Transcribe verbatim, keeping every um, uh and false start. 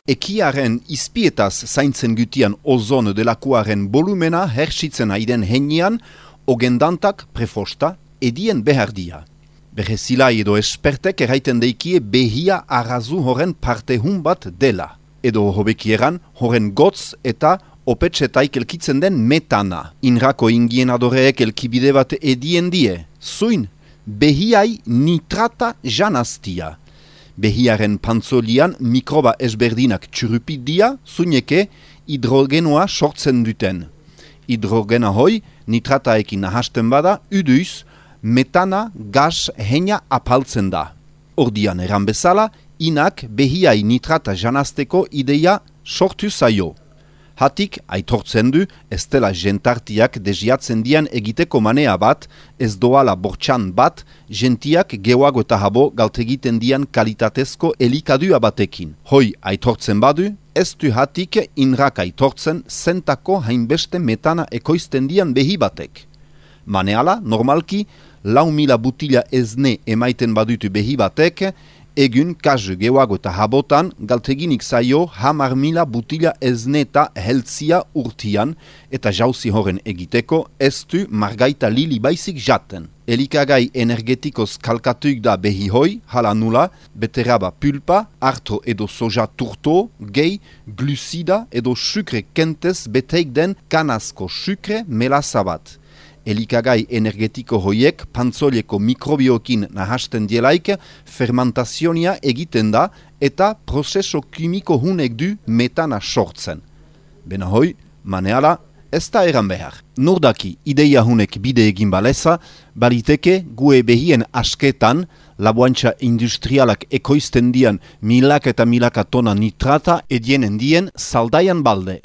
Ekiaren izpietaz zaintzen gutian ozon delakuaren volumena hersitzen aiden heinean, ogendantak prefosta edien behardia. Berezilai edo espertek erraiten deikie behia arrazu horren partehun bat dela. Edo hobekieran horren gotz eta opetsetaik elkitzen den metana. Inrako ingien adoreek elkibide bat edien die. Zuin, behiai nitrata janaztia. Behiaren pantzolian mikroba ezberdinak txurupidia, zuineke hidrogenoa sortzen duten. Hidrogena hoi nitrataekin nahasten bada, uduiz, metana gas heina apaltzen da. Ordian eran bezala, inak behiai nitrata janazteko ideia sortu zaio. Hatik, aitortzen du, ez dela jentartiak deziatzen dian egiteko manea bat, ez doala bortxan bat, jentiak geoago eta habo galtegiten dian kalitatezko elikadua batekin. Hoi aitortzen badu, ez du hatik inrak aitortzen zentako hainbeste metana ekoizten dian behi batek. Maneala, normalki, lau mila butila ezne emaiten badutu behi batek, egun kazu geoago eta habotan galteginik zaio hamar mila butila ezne eta heltzia urtian eta jauzi horren egiteko ez du margaita lili baizik jaten. Elikagai energetikoz kalkatuik da behi hoi, hala nula, beteraba pulpa, arto edo soja turto, gehi, glusida edo sukre kentez beteik den kanazko sukre melaza bat. Elikagai energetiko hoiek pantzolieko mikrobiokin nahasten dielaik fermentazionia egiten da eta prozeso kimiko hunek du metana sortzen. Bena hoi, maneala, ez da eran behar. Nordaki ideia hunek bide egin baleza, baliteke gue behien asketan laboantxa industrialak ekoizten dian milaka eta milaka tona nitrata edienen dien zaldaian balde.